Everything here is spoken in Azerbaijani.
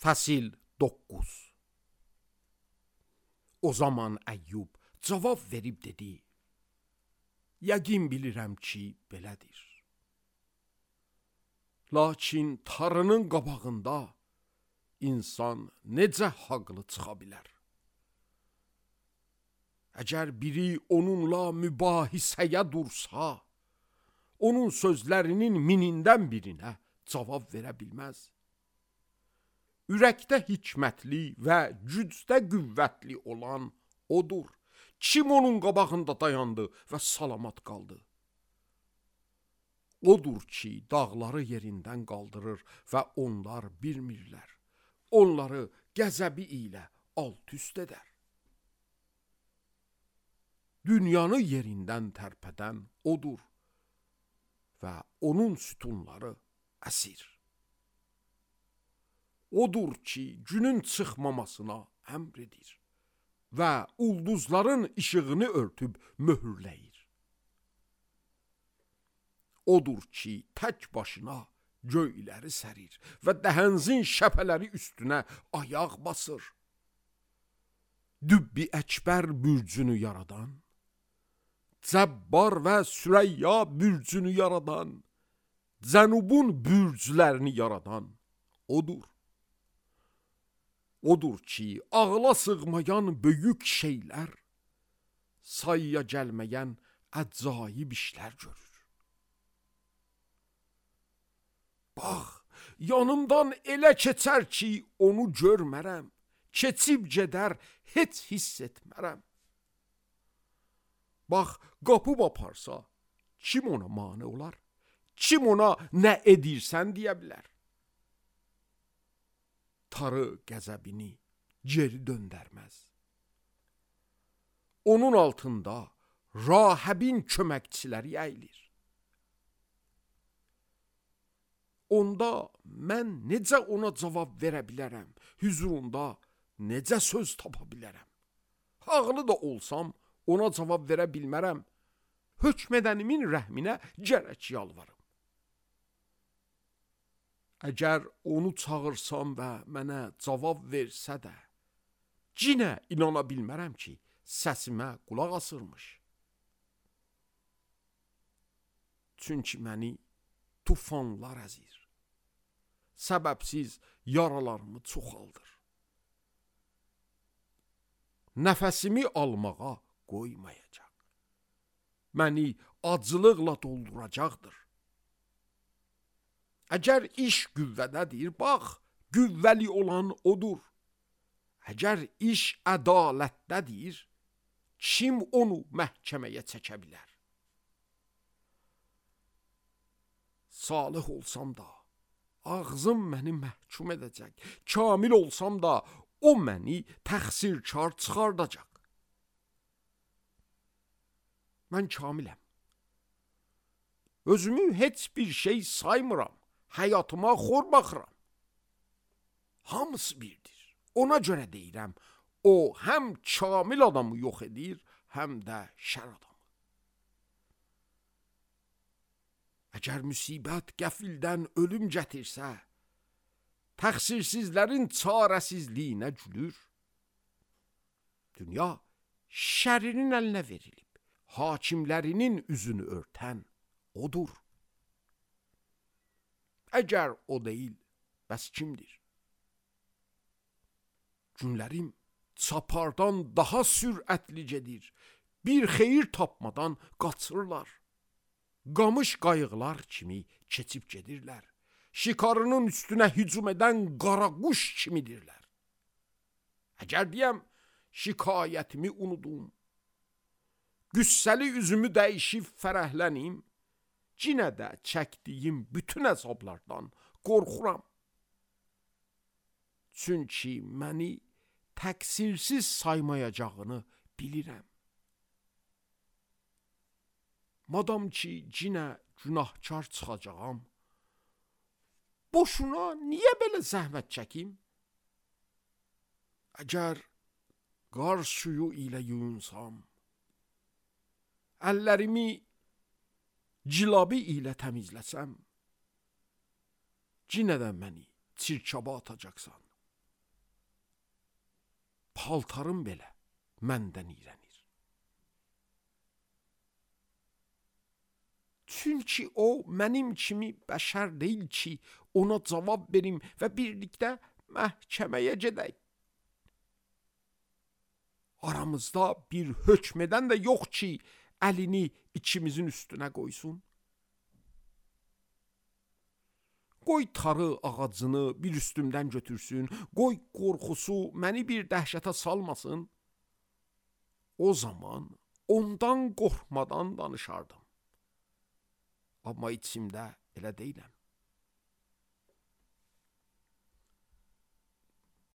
Fəsil 9. O zaman Əyyub cavab verib dedi: Yəqin bilirəm ki, belədir. Lakin Tanrının qabağında insan necə haqlı çıxa bilər? Əgər biri onunla mübahisəyə dursa, onun sözlərinin minindən birinə cavab verə bilməz. Ürəkdə hikmətli və gücdə qüvvətli olan odur. Kim onun qabağında dayandı və salamat qaldı? Odur ki, dağları yerindən qaldırır və onlar bilmirlər. Onları qəzəbi ilə alt-üst edər. Dünyanı yerindən tərpədən odur və onun sütunları əsir. Odur ki, günün çıxmamasına əmr edir və ulduzların işığını örtüb möhürləyir. Odur ki, tək başına göyləri sərir və dəhənzin şəpələri üstünə ayaq basır. Dübbi əkbər bürcünü yaradan, Cəbbar və Sürəyya bürcünü yaradan, Cənubun bürclərini yaradan odur. Odur ki, ağla sığmayan böyük şeylər, sayıya gəlməyən əcaib işlər görür. Bax, yanımdan elə keçər ki, onu görmərəm, keçib gedər, heç hiss etmərəm. Bax, qapıb aparsa, kim ona mane olar? Kim ona nə edirsən deyə bilər? Tarı qəzəbini geri döndərməz. Onun altında Rahəbin köməkçiləri əyilir. Onda mən necə ona cavab verə bilərəm? Hüzurunda necə söz tapa bilərəm? Haqlı da olsam ona cavab verə bilmərəm. Hökmədənimin rəhminə gərək yalvarım. Əgər onu çağırsam və mənə cavab versə də, yenə inana bilmərəm ki, səsimə qulaq asırmış. Çünki məni tufanlar əzir. Səbəbsiz yaralarımı çoxaldır. Nəfəsimi almağa qoymayacaq. Məni acılıqla dolduracaqdır. Əgər iş qüvvədədir, bax, qüvvəli olan odur. Əgər iş ədalətdədir, kim onu məhkəməyə çəkə bilər? Salih olsam da, ağzım məni məhkum edəcək. Kamil olsam da, o məni təqsirkar çıxardacaq. Mən kamiləm. Özümü heç bir şey saymıram. Həyatıma xor baxıram. Hamısı birdir. Ona görə deyirəm, o həm kamil adamı yox edir, həm də şər adamı. Əgər müsibət qəfildən ölüm gətirsə, təqsirsizlərin çarəsizliyinə gülür. Dünya şərinin əlinə verilib, hakimlərinin üzünü örtən odur. Əgər o deyil, bəs kimdir? Günlərim çapardan daha sürətli gedir. Bir xeyir tapmadan qaçırlar. Qamış qayıqlar kimi keçib gedirlər. Şikarının üstünə hücum edən qaraquş kimidirlər. Əgər deyəm, şikayətimi unudum, qüssəli üzümü dəyişib fərəhlənim, yenə də çəkdiyim bütün əzablardan qorxuram. Çünki məni təqsirsiz saymayacağını bilirəm. Madam ki, yenə günahkar çıxacağam, boşuna niyə belə zəhmət çəkim? Əgər qar suyu ilə yunsam, əllərimi cilabi ilə təmizləsəm, yenə də məni çirkaba atacaqsan. paltarım belə məndən iyrənir. Çünki o mənim kimi bəşər deyil ki, ona cavab verim və birlikdə məhkəməyə gedək. Aramızda bir hökm edən də yox ki, əlini ikimizin üstünə qoysun. Qoy tarı ağacını bir üstümdən götürsün, qoy qorxusu məni bir dəhşətə salmasın. O zaman ondan qorxmadan danışardım. Amma içimdə elə deyiləm.